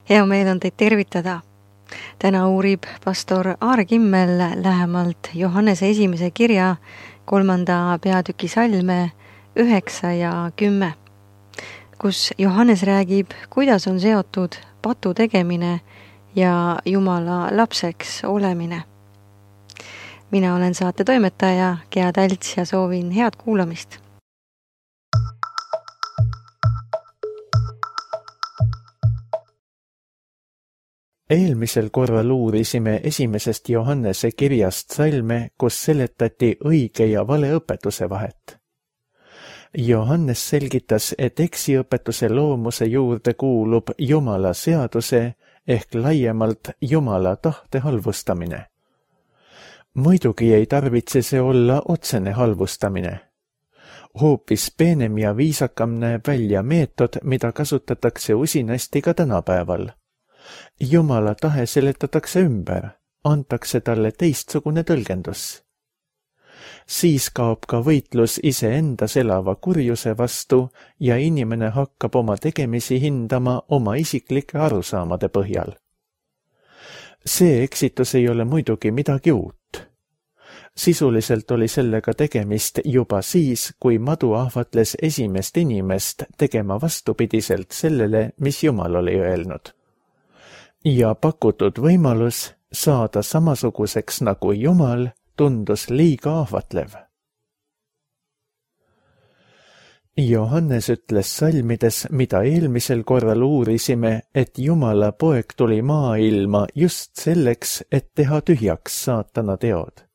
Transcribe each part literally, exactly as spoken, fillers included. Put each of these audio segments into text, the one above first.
Hea meel on teid tervitada. Täna uurib pastor Aare Kimmel lähemalt Johannese esimese kirja kolmanda peatüki salme üheksa ja kümme, kus Johannes räägib, kuidas on seotud patu tegemine ja Jumala lapseks olemine. Mina olen saate toimetaja Gea Talts ja soovin head kuulamist. Eelmisel korral uurisime esimesest Johannese kirjast salme, kus seletati õige ja vale õpetuse vahet. Johannes selgitas, et eksiõpetuse loomuse juurde kuulub Jumala seaduse ehk laiemalt Jumala tahte halvustamine. Muidugi ei tarvitse see olla otsene halvustamine. Hoopis peenem ja viisakam näeb välja meetod, mida kasutatakse usinasti ka tänapäeval. Jumala tahe seletatakse ümber, antakse talle teistsugune tõlgendus. Siis kaob ka võitlus iseendas elava kurjuse vastu ja inimene hakkab oma tegemisi hindama oma isiklike arusaamade põhjal. See eksitus ei ole muidugi midagi uut. Sisuliselt oli sellega tegemist juba siis, kui madu ahvatles esimest inimest tegema vastupidiselt sellele, mis Jumal oli öelnud. Ja pakutud võimalus saada samasuguseks nagu Jumal tundus liiga ahvatlev. Johannes ütles salmides, mida eelmisel korral uurisime, et Jumala poeg tuli maailma just selleks, et teha tühjaks saatana teod.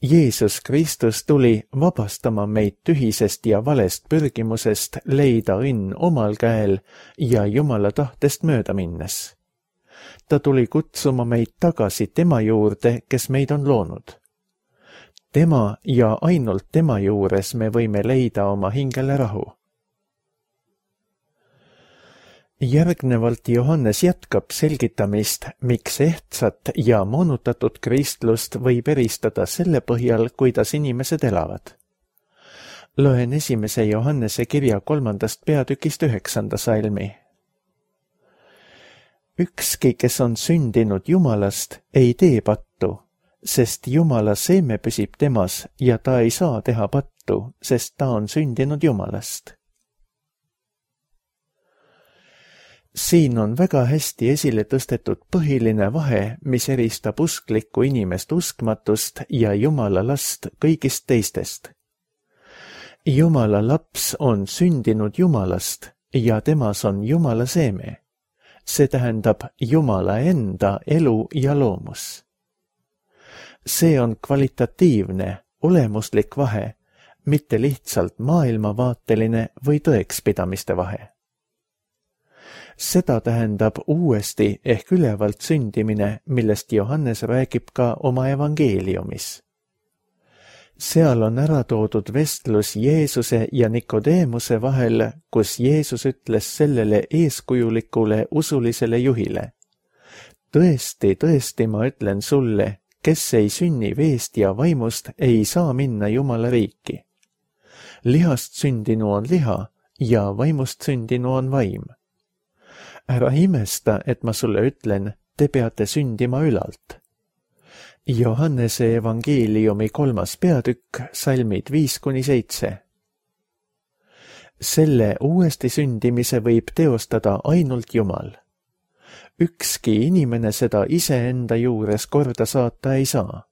Jeesus Kristus tuli vabastama meid tühisest ja valest pürgimusest leida õnn omal käel ja Jumala tahtest mööda minnes. Ta tuli kutsuma meid tagasi tema juurde, kes meid on loonud. Tema ja ainult tema juures me võime leida oma hingele rahu. Järgnevalt Johannes jätkab selgitamist, miks ehtsat ja moonutatud kristlust võib eristada selle põhjal, kuidas inimesed elavad. Loen esimese Johannese kirja kolmandast peatükist üheksanda salmi. Ükski, kes on sündinud Jumalast, ei tee pattu, sest Jumala seeme püsib temas ja ta ei saa teha pattu, sest ta on sündinud Jumalast. Siin on väga hästi esile tõstetud põhiline vahe, mis eristab usklikku inimest uskmatust ja Jumala last kõigist teistest. Jumala laps on sündinud Jumalast ja temas on Jumala seeme. See tähendab Jumala enda elu ja loomus. See on kvalitatiivne, olemuslik vahe, mitte lihtsalt maailmavaateline või tõekspidamiste vahe. Seda tähendab uuesti ehk ülevalt sündimine, millest Johannes räägib ka oma evangeeliumis. Seal on ära toodud vestlus Jeesuse ja Nikodeemuse vahel, kus Jeesus ütles sellele eeskujulikule usulisele juhile. Tõesti, tõesti, ma ütlen sulle, kes ei sünni veest ja vaimust, ei saa minna Jumala riiki. Lihast sündinu on liha ja vaimust sündinu on vaim. Ära imesta, et ma sulle ütlen, te peate sündima ülalt. Johannese evangeeliumi kolmas peatükk, salmid viis kuni seitse. Selle uuesti sündimise võib teostada ainult Jumal. Ükski inimene seda iseenda juures korda saata ei saa.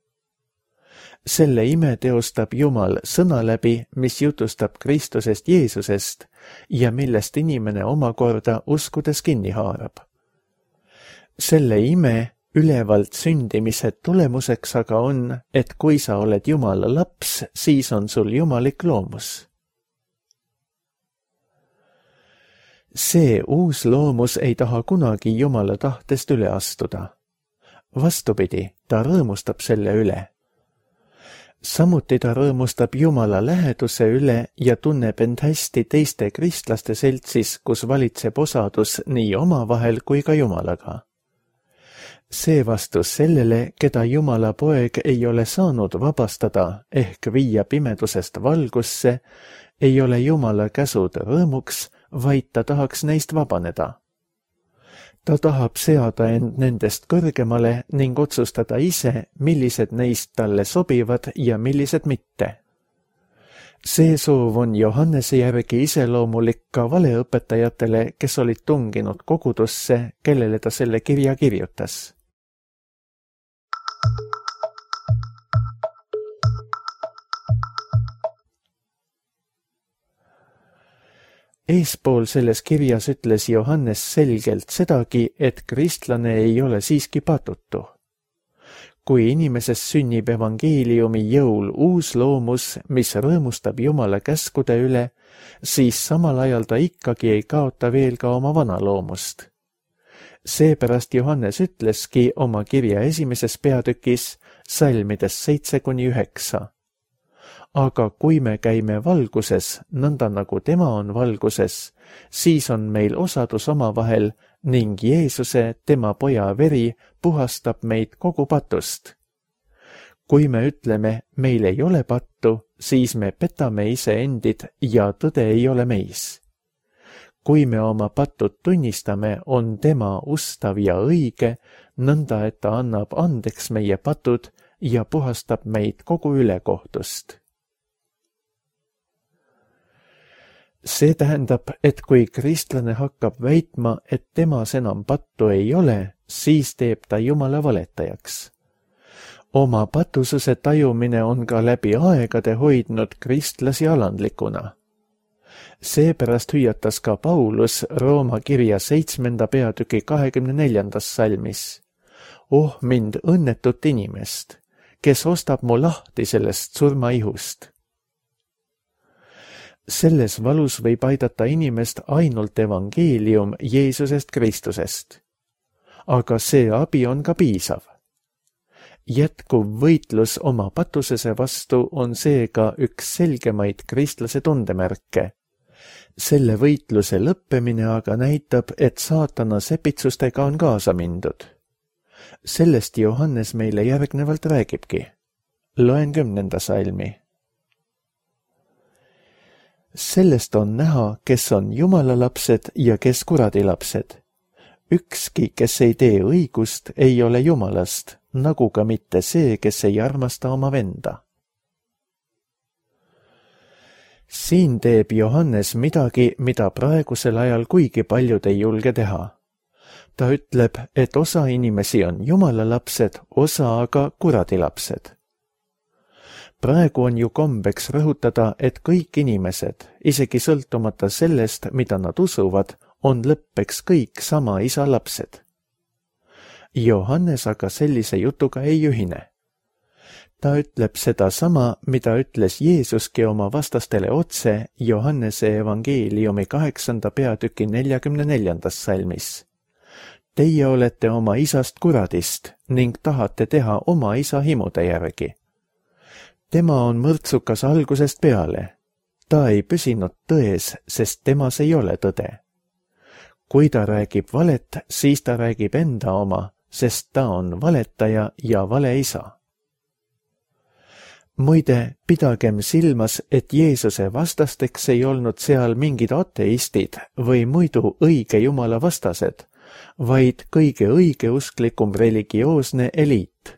Selle ime teostab Jumal sõna läbi, mis jutustab Kristusest Jeesusest ja millest inimene omakorda uskudes kinni haarab. Selle ime ülevalt sündimise tulemuseks aga on, et kui sa oled Jumala laps, siis on sul jumalik loomus. See uus loomus ei taha kunagi Jumala tahtest üle astuda. Vastupidi, ta rõõmustab selle üle. Samuti ta rõõmustab Jumala läheduse üle ja tunneb end hästi teiste kristlaste seltsis, kus valitseb osadus nii omavahel kui ka Jumalaga. See vastus sellele, keda Jumala poeg ei ole saanud vabastada ehk viia pimedusest valgusse, ei ole Jumala käsud rõõmuks, vaid ta tahaks neist vabaneda. ta tahab seada end nendest kõrgemale ning otsustada ise, millised neist talle sobivad ja millised mitte. See soov on Johannese järgi iseloomulik ka valeõpetajatele, kes olid tunginud kogudusse, kellele ta selle kirja kirjutas. Eespool selles kirjas ütles Johannes selgelt sedagi, et kristlane ei ole siiski patutu. Kui inimeses sünnib evangeeliumi jõul uus loomus, mis rõõmustab Jumala käskude üle, siis samal ajal ta ikkagi ei kaota veel ka oma vana loomust. Seepärast Johannes ütleski oma kirja esimeses peatükis salmides seitse kuni üheksa. Aga kui me käime valguses, nõnda nagu tema on valguses, siis on meil osadus omavahel ning Jeesuse, tema poja veri, puhastab meid kogu patust. Kui me ütleme, meil ei ole pattu, siis me petame iseendid ja tõde ei ole meis. Kui me oma patud tunnistame, on tema ustav ja õige, nõnda et ta annab andeks meie patud ja puhastab meid kogu ülekohtust. See tähendab, et kui kristlane hakkab väitma, et temas enam pattu ei ole, siis teeb ta Jumala valetajaks. Oma patususe tajumine on ka läbi aegade hoidnud kristlasi alandlikuna. Seepärast hüüatas ka Paulus Rooma kirja seitsmenda peatüki kahekümne neljandas salmis. Oh mind õnnetut inimest, kes ostab mu lahti sellest surmaihust. Selles valus võib aidata inimest ainult evangeelium Jeesusest Kristusest. Aga see abi on ka piisav. Jätkuv võitlus oma patusese vastu on seega üks selgemaid kristlase tundemärke. Selle võitluse lõppemine aga näitab, et saatana sepitsustega on kaasa mindud. Sellest Johannes meile järgnevalt räägibki. Loen kümnenda salmi. Sellest on näha, kes on Jumala lapsed ja kes kuradi lapsed. Ükski, kes ei tee õigust, ei ole Jumalast, nagu ka mitte see, kes ei armasta oma venda. Siin teeb Johannes midagi, mida praegusel ajal kuigi paljud ei julge teha. Ta ütleb, et osa inimesi on Jumala lapsed, osa aga kuradi lapsed. Praegu on ju kombeks rõhutada, et kõik inimesed, isegi sõltumata sellest, mida nad usuvad, on lõppeks kõik sama isa lapsed. Johannes aga sellise jutuga ei ühine. Ta ütleb seda sama, mida ütles Jeesuski oma vastastele otse Johannese evangeeliumi kaheksanda peatüki neljakümne neljandas salmis. Teie olete oma isast kuradist ning tahate teha oma isa himude järgi. Tema on mõrtsukas algusest peale. Ta ei püsinud tões, sest temas ei ole tõde. Kui ta räägib valet, siis ta räägib enda oma, sest ta on valetaja ja valeisa. Muide, pidagem silmas, et Jeesuse vastasteks ei olnud seal mingid ateistid või muidu õige Jumala vastased, vaid kõige õigeusklikum religioosne eliit.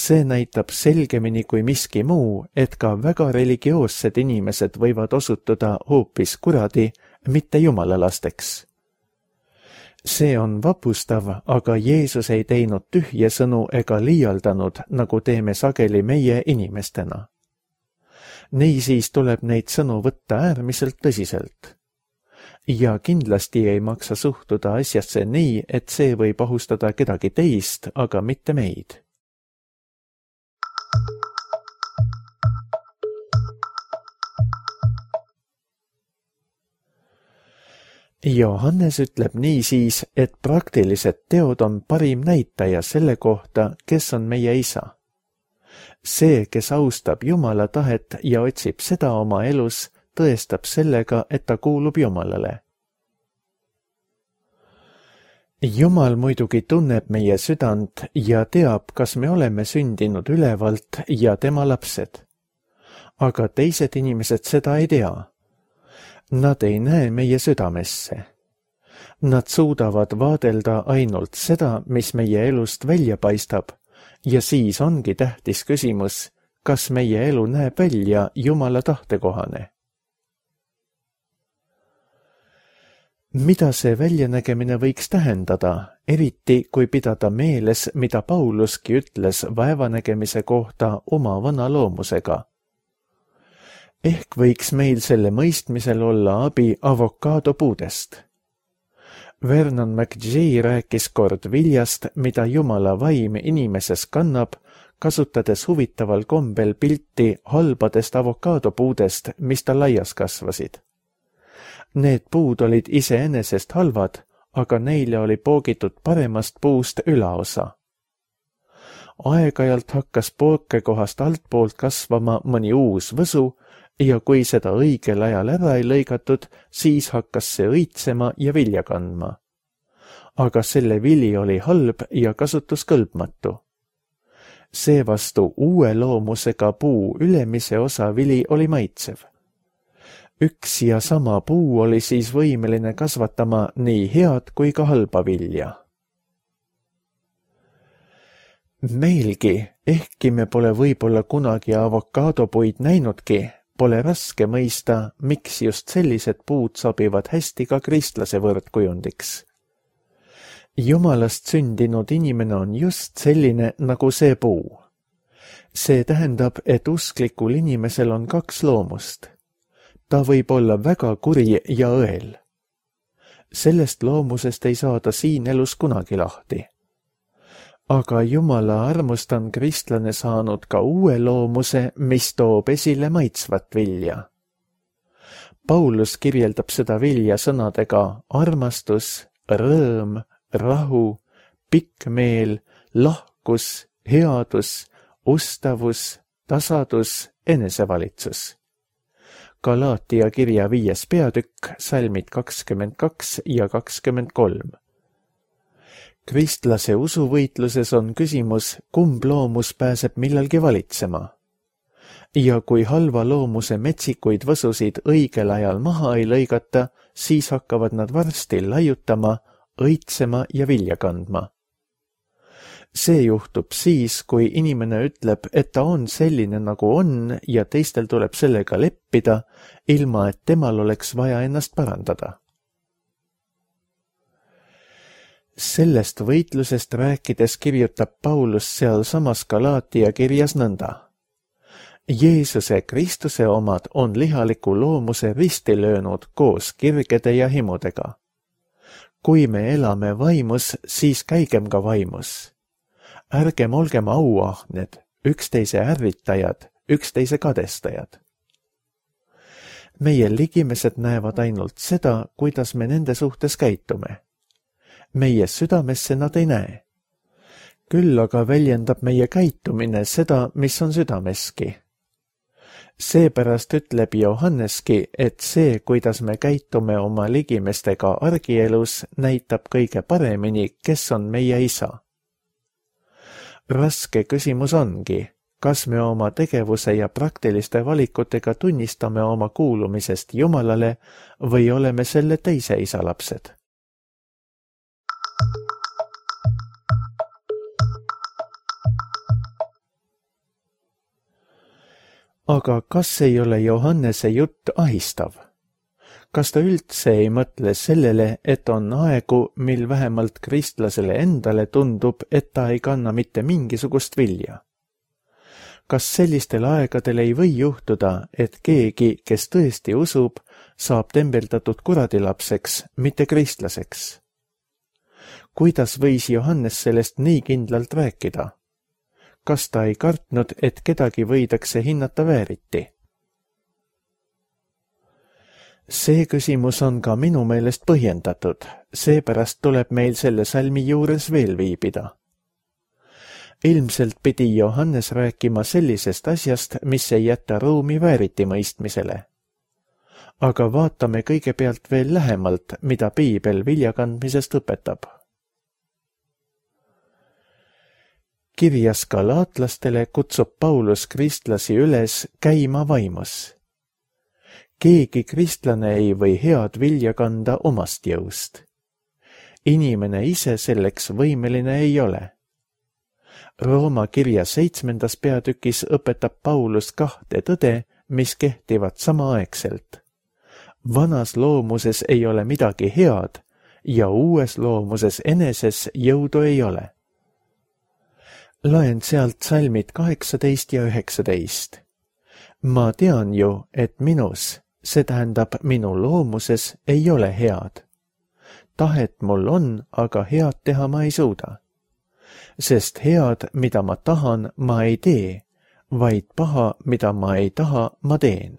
See näitab selgemini kui miski muu, et ka väga religioossed inimesed võivad osutuda hoopis kuradi, mitte Jumala lasteks. See on vapustav, aga Jeesus ei teinud tühje sõnu ega liialdanud, nagu teeme sageli meie inimestena. Niisiis tuleb neid sõnu võtta äärmiselt tõsiselt. Ja kindlasti ei maksa suhtuda asjasse nii, et see võib ohustada kedagi teist, aga mitte meid. Johannes ütleb niisiis, et praktilised teod on parim näitaja selle kohta, kes on meie isa. See, kes austab Jumala tahet ja otsib seda oma elus, tõestab sellega, et ta kuulub Jumalale. Jumal muidugi tunneb meie südant ja teab, kas me oleme sündinud ülevalt ja tema lapsed. Aga teised inimesed seda ei tea. Nad ei näe meie südamesse. Nad suudavad vaadelda ainult seda, mis meie elust välja paistab, ja siis ongi tähtis küsimus, kas meie elu näeb välja Jumala tahtekohane. Mida see väljanägemine võiks tähendada, eriti kui pidada meeles, mida Pauluski ütles vaevanägemise kohta oma vana loomusega? Ehk võiks meil selle mõistmisel olla abi avokaadopuudest. Vernon McGee rääkis kord viljast, mida Jumala vaim inimeses kannab, kasutades huvitaval kombel pilti halbadest avokaadopuudest, mis ta laias kasvasid. Need puud olid iseenesest halvad, aga neile oli poogitud paremast puust ülaosa. Aeg-ajalt hakkas pookekohast altpoolt kasvama mõni uus võsu ja kui seda õigel ajal ära ei lõigatud, siis hakkas see õitsema ja vilja kandma. Aga selle vili oli halb ja kasutuskõlbmatu. Seevastu uue loomusega puu ülemise osa vili oli maitsev. Üks ja sama puu oli siis võimeline kasvatama nii head kui ka halba vilja. Meilgi, ehkki me pole võib-olla kunagi avokaadopuid näinudki, pole raske mõista, miks just sellised puud sobivad hästi ka kristlase võrdkujundiks. Jumalast sündinud inimene on just selline nagu see puu. See tähendab, et usklikul inimesel on kaks loomust. Ta võib olla väga kuri ja õel. Sellest loomusest ei saada siin elus kunagi lahti. Aga Jumala armust on kristlane saanud ka uue loomuse, mis toob esile maitsvat vilja. Paulus kirjeldab seda vilja sõnadega armastus, rõõm, rahu, pikk meel, lahkus, headus, ustavus, tasadus, enesevalitsus. Galaatia kirja viies peatükk, salmid kakskümmend kaks ja kakskümmend kolm. Kristlase usuvõitluses on küsimus, kumb loomus pääseb millalgi valitsema. Ja kui halva loomuse metsikuid võsusid õigel ajal maha ei lõigata, siis hakkavad nad varsti laiutama, õitsema ja vilja kandma. See juhtub siis, kui inimene ütleb, et ta on selline nagu on ja teistel tuleb sellega leppida, ilma et temal oleks vaja ennast parandada. Sellest võitlusest rääkides kirjutab Paulus seal samas Galaatia kirjas nõnda. Jeesuse Kristuse omad on lihaliku loomuse risti löönud koos kirgede ja himudega. Kui me elame vaimus, siis käigem ka vaimus. Ärgem olgem auahned, üksteise ärritajad, üksteise kadestajad. Meie ligimesed näevad ainult seda, kuidas me nende suhtes käitume. Meie südamesse nad ei näe. Küll aga väljendab meie käitumine seda, mis on südameski. Seepärast ütleb Johanneski, et see, kuidas me käitume oma ligimestega argielus, näitab kõige paremini, kes on meie isa. Raske küsimus ongi, kas me oma tegevuse ja praktiliste valikutega tunnistame oma kuulumisest Jumalale või oleme selle teise isa lapsed. Aga kas ei ole Johannese jutt ahistav? Kas ta üldse ei mõtle sellele, et on aegu, mil vähemalt kristlasele endale tundub, et ta ei kanna mitte mingisugust vilja? Kas sellistel aegadel ei või juhtuda, et keegi, kes tõesti usub, saab tembeldatud kuradilapseks, mitte kristlaseks? Kuidas võis Johannes sellest nii kindlalt rääkida? Kas ta ei kartnud, et kedagi võidakse hinnata vääriti? See küsimus on ka minu meelest põhjendatud, seepärast tuleb meil selle salmi juures veel viibida. Ilmselt pidi Johannes rääkima sellisest asjast, mis ei jäta ruumi vääriti mõistmisele. Aga vaatame kõigepealt veel lähemalt, mida Piibel viljakandmisest õpetab. Kirjas galaatlastele kutsub Paulus kristlasi üles käima vaimus. Keegi kristlane ei või head vilja kanda omast jõust. inimene ise selleks võimeline ei ole. Rooma kirja seitsmendas peatükis õpetab Paulus kahte tõde, mis kehtivad samaaegselt. Vanas loomuses ei ole midagi head ja uues loomuses eneses jõudu ei ole. Loen sealt salmid kaheksateist ja üheksateist. Ma tean ju, et minus, see tähendab minu loomuses, ei ole head. Tahet mul on, aga head teha ma ei suuda. Sest head, mida ma tahan, ma ei tee, vaid paha, mida ma ei taha, ma teen.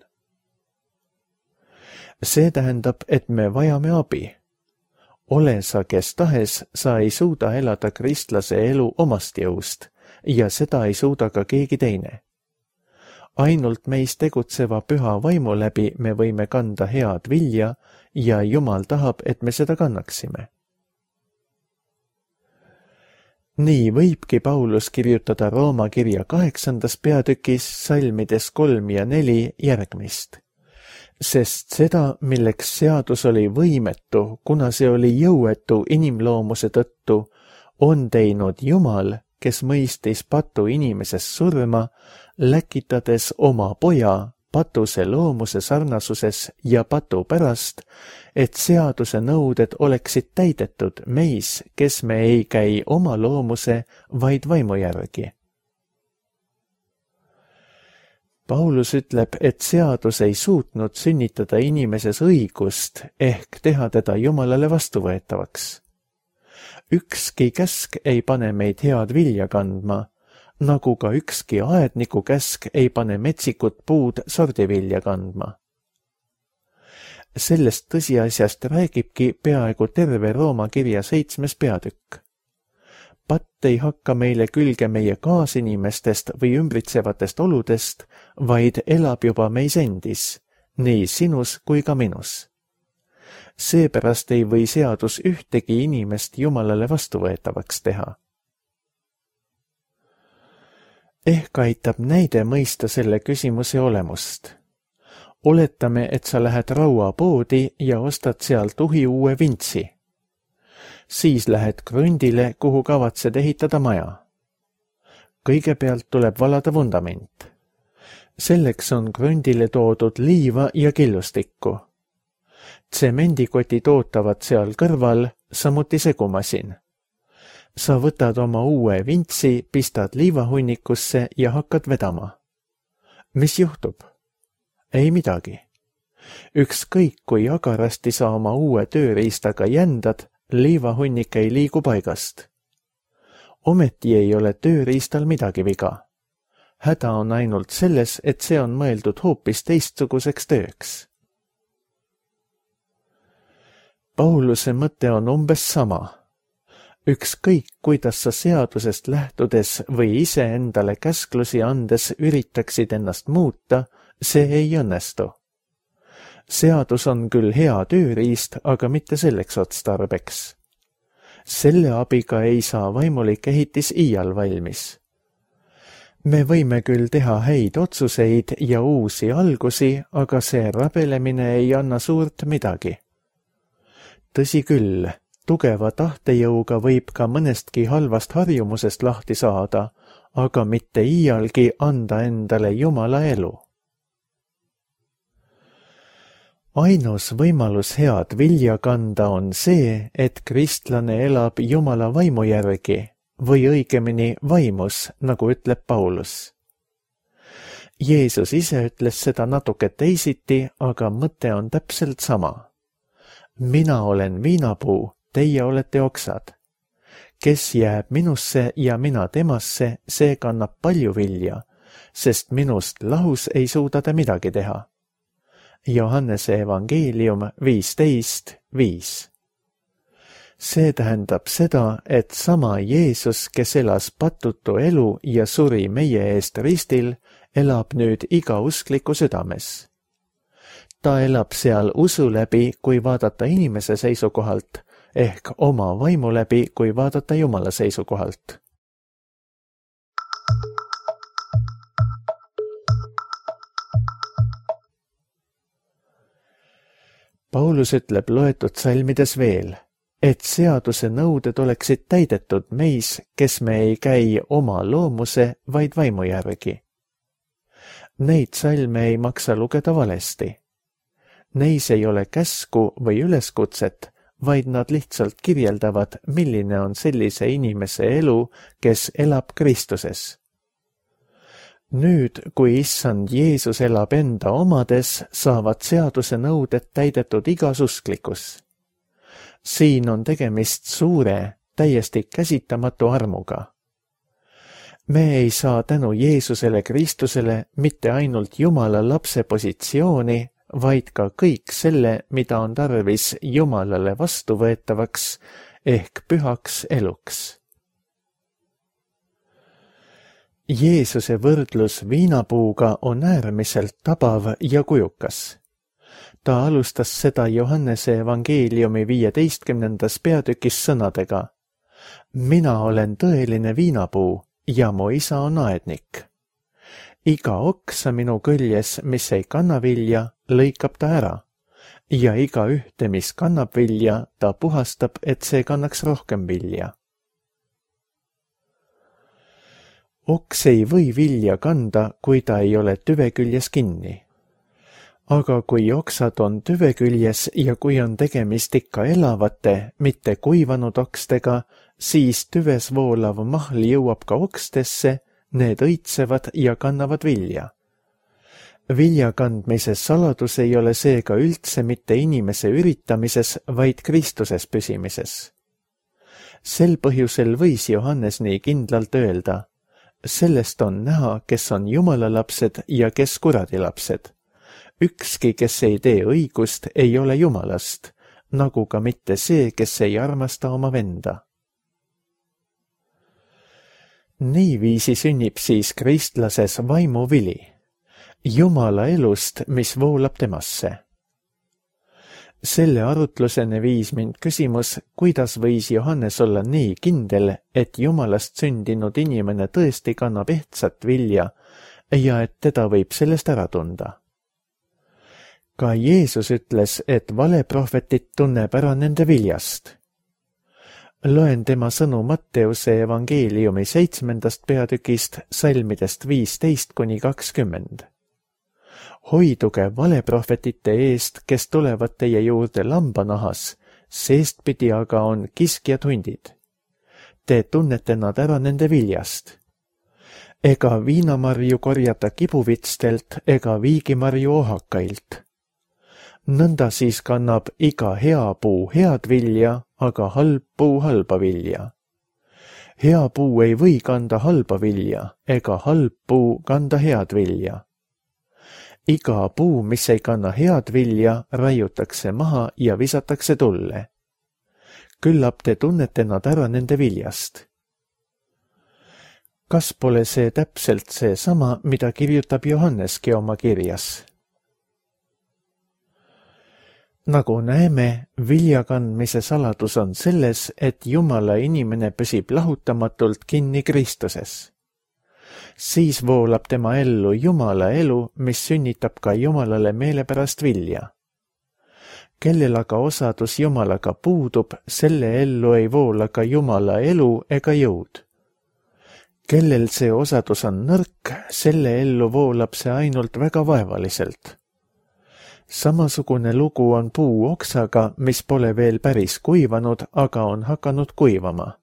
See tähendab, et me vajame abi. Ole sa kes tahes, sa ei suuda elada kristlase elu omast jõust ja seda ei suuda ka keegi teine. Ainult meis tegutseva püha vaimu läbi me võime kanda head vilja ja Jumal tahab, et me seda kannaksime. Nii võibki Paulus kirjutada Rooma kirja kaheksandas peatükis salmides kolm ja neli järgmist. Sest seda, milleks seadus oli võimetu, kuna see oli jõuetu inimloomuse tõttu, on teinud Jumal, kes mõistis patu inimeses surma, läkitades oma poja patuse loomuse sarnasuses ja patu pärast, et seaduse nõuded oleksid täidetud meis, kes me ei käi oma loomuse, vaid vaimu järgi. Paulus ütleb, et seadus ei suutnud sünnitada inimeses õigust ehk teha teda Jumalale vastuvõetavaks. Ükski käsk ei pane meid head vilja kandma, nagu ka ükski aedniku käsk ei pane metsikut puud sordivilja kandma. Sellest tõsiasjast räägibki peaaegu terve Rooma kirja seitsmes peatükk. Patt ei hakka meile külge meie kaasinimestest või ümbritsevatest oludest, vaid elab juba meis endis, nii sinus kui ka minus. Seepärast ei või seadus ühtegi inimest Jumalale vastuvõetavaks teha. Ehk aitab näide mõista selle küsimuse olemust. Oletame, et sa lähed rauapoodi ja ostad sealt uhi uue vintsi. Siis lähed krundile, kuhu kavatsed ehitada maja. Kõigepealt tuleb valada vundament. Selleks on krundile toodud liiva ja killustikku. Tsemendikotid ootavad seal kõrval, samuti segumasin. Sa võtad oma uue vintsi, pistad liivahunnikusse ja hakkad vedama. Mis juhtub? Ei midagi. Ükskõik kui agarasti sa oma uue tööriistaga jändad, liivahunnik ei liigu paigast. Ometi ei ole tööriistal midagi viga. Häda on ainult selles, et see on mõeldud hoopis teistsuguseks tööks. Pauluse mõte on umbes sama. Ükskõik, kuidas sa seadusest lähtudes või ise endale käsklusi andes üritaksid ennast muuta, see ei õnnestu. Seadus on küll hea tööriist, aga mitte selleks otstarbeks. Selle abiga ei saa vaimulik ehitis iial valmis. Me võime küll teha häid otsuseid ja uusi algusi, aga see rabelemine ei anna suurt midagi. Tõsi küll, tugeva tahtejõuga võib ka mõnestki halvast harjumusest lahti saada, aga mitte iialgi anda endale Jumala elu. Ainus võimalus head vilja kanda on see, et kristlane elab Jumala vaimu järgi või õigemini vaimus, nagu ütleb Paulus. Jeesus ise ütles seda natuke teisiti, aga mõte on täpselt sama. Mina olen viinapuu, teie olete oksad. Kes jääb minusse ja mina temasse, see kannab palju vilja, sest minust lahus ei suuda ta midagi teha. Johannese evangeelium viisteist viis. See tähendab seda, et sama Jeesus, kes elas patutu elu ja suri meie eest ristil, elab nüüd iga uskliku südames. Ta elab seal usu läbi, kui vaadata inimese seisukohalt, ehk oma vaimu läbi, kui vaadata Jumala seisukohalt. Paulus ütleb loetud salmides veel, et seaduse nõuded oleksid täidetud meis, kes me ei käi oma loomuse, vaid vaimu järgi. Neid salme ei maksa lugeda valesti. Neis ei ole käsku või üleskutset, vaid nad lihtsalt kirjeldavad, milline on sellise inimese elu, kes elab Kristuses. Nüüd, kui issand Jeesus elab enda omades, saavad seaduse nõuded täidetud igas usklikus. Siin on tegemist suure, täiesti käsitamatu armuga. Me ei saa tänu Jeesusele Kristusele mitte ainult Jumala lapse positsiooni, vaid ka kõik selle, mida on tarvis Jumalale vastuvõetavaks ehk pühaks eluks. Jeesuse võrdlus viinapuuga on äärmiselt tabav ja kujukas. Ta alustas seda Johannese evangeeliumi viieteistkümnendas peatükis sõnadega: Mina olen tõeline viinapuu ja mu isa on aednik. Iga oksa minu küljes, mis ei kanna vilja, lõikab ta ära, ja iga ühte, mis kannab vilja, ta puhastab, et see kannaks rohkem vilja. Oks ei või vilja kanda, kui ta ei ole tüve küljes kinni. Aga kui oksad on tüve küljes ja kui on tegemist ikka elavate, mitte kuivanud okstega, siis tüves voolav mahl jõuab ka okstesse, need õitsevad ja kannavad vilja. Vilja kandmise saladus ei ole seega üldse mitte inimese üritamises, vaid Kristuses püsimises. Sel põhjusel võis Johannes nii kindlalt öelda: Sellest on näha, kes on Jumala lapsed ja kes kuradi lapsed. Ükski, kes ei tee õigust, ei ole Jumalast, nagu ka mitte see, kes ei armasta oma venda. Niiviisi sünnib siis kristlases vaimuvili, Jumala elust, mis voolab temasse. Selle arutluseni viis mind küsimus, kuidas võis Johannes olla nii kindel, et Jumalast sündinud inimene tõesti kannab ehtsat vilja ja et teda võib sellest ära tunda. Ka Jeesus ütles, et valeprohvetit tunneb ära nende viljast. Loen tema sõnu Matteuse evangeeliumi seitsmendast peatükist salmidest viisteist kuni kakskümmend. Hoiduge valeprohvetite eest, kes tulevad teie juurde lambanahas, seestpidi aga on kiskjad hundid. Te tunnete nad ära nende viljast. Ega viinamarju korjata kibuvitstelt ega viigimarju ohakailt. Nõnda siis kannab iga hea puu head vilja, aga halb puu halba vilja. Hea puu ei või kanda halba vilja, ega halb puu kanda head vilja. Iga puu, mis ei kanna head vilja, raiutakse maha ja visatakse tulle. Küllap te tunnete nad ära nende viljast. Kas pole see täpselt see sama, mida kirjutab Johanneski oma kirjas? Nagu näeme, vilja kandmise saladus on selles, et Jumala inimene püsib lahutamatult kinni Kristuses. Siis voolab tema ellu Jumala elu, mis sünnitab ka Jumalale meelepärast vilja. Kellel aga osadus Jumalaga puudub, selle ellu ei voola ka Jumala elu ega jõud. Kellel see osadus on nõrk, selle ellu voolab see ainult väga vaevaliselt. Samasugune lugu on puu oksaga, mis pole veel päris kuivanud, aga on hakanud kuivama.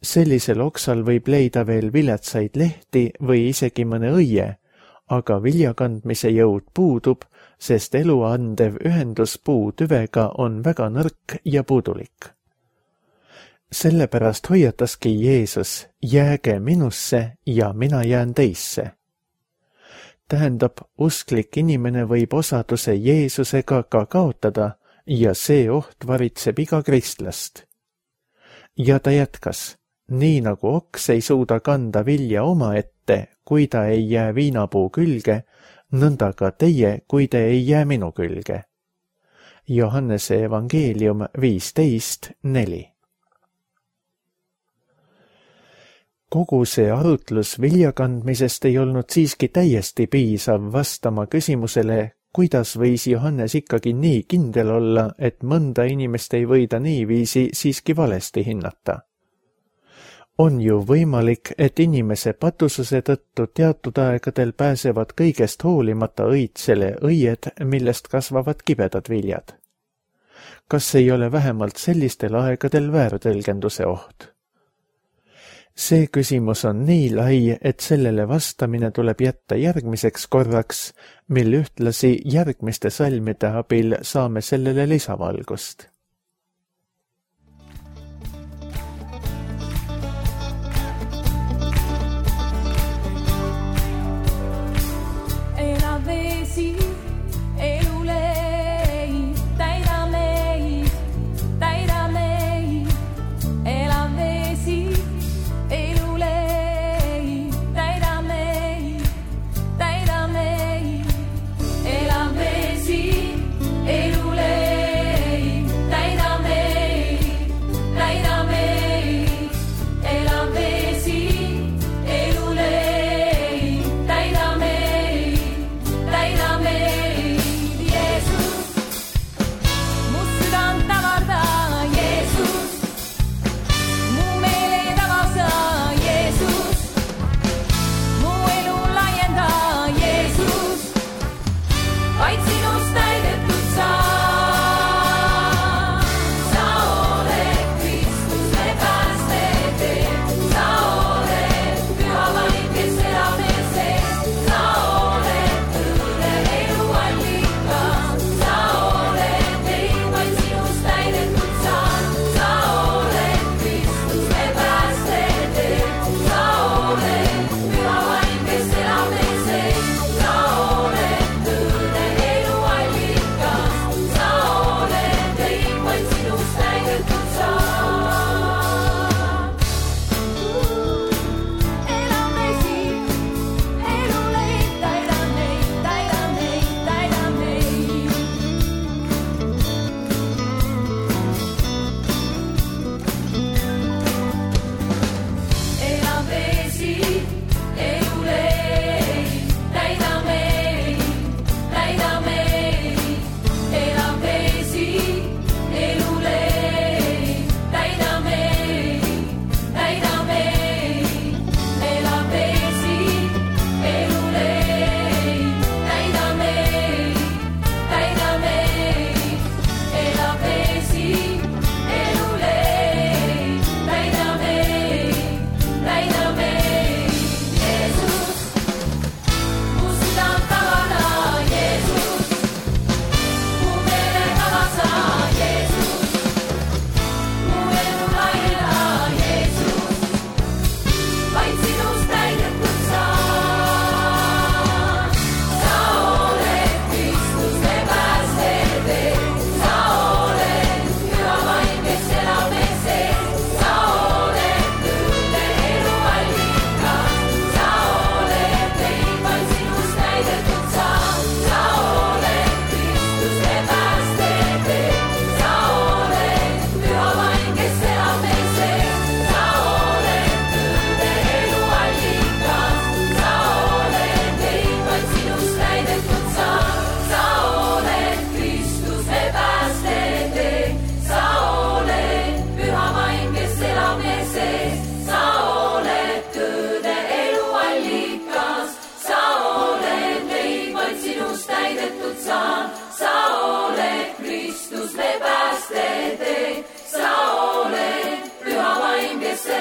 Sellisel oksal võib leida veel viletsaid lehti või isegi mõne õie, aga viljakandmise jõud puudub, sest elu andev ühendus puu tüvega on väga nõrk ja puudulik. Sellepärast hoiataski Jeesus, jääge minusse ja mina jään teisse. Tähendab, usklik inimene võib osaduse Jeesusega ka kaotada ja see oht varitseb iga kristlast. Ja ta jätkas, nii nagu oks ei suuda kanda vilja omaette, kui ta ei jää viinapuu külge, nõnda ka teie, kui te ei jää minu külge. Johannese evangeelium viisteist neli. Kogu see arutlus viljakandmisest ei olnud siiski täiesti piisav vastama küsimusele, kuidas võis Johannes ikkagi nii kindel olla, et mõnda inimest ei võida niiviisi siiski valesti hinnata? On ju võimalik, et inimese patususe tõttu teatud aegadel pääsevad kõigest hoolimata õitsele õied, millest kasvavad kibedad viljad. Kas ei ole vähemalt sellistel aegadel väärtõlgenduse oht? See küsimus on nii lai, et sellele vastamine tuleb jätta järgmiseks korraks, mil ühtlasi järgmiste salmide abil saame sellele lisavalgust.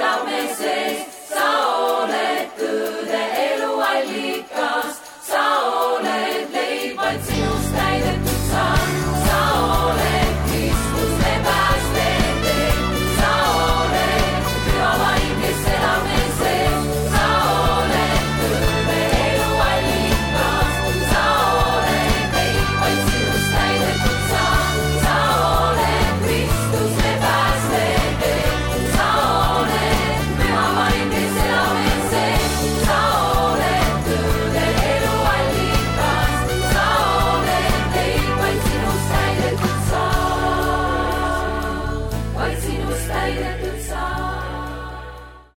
Elab meie sees,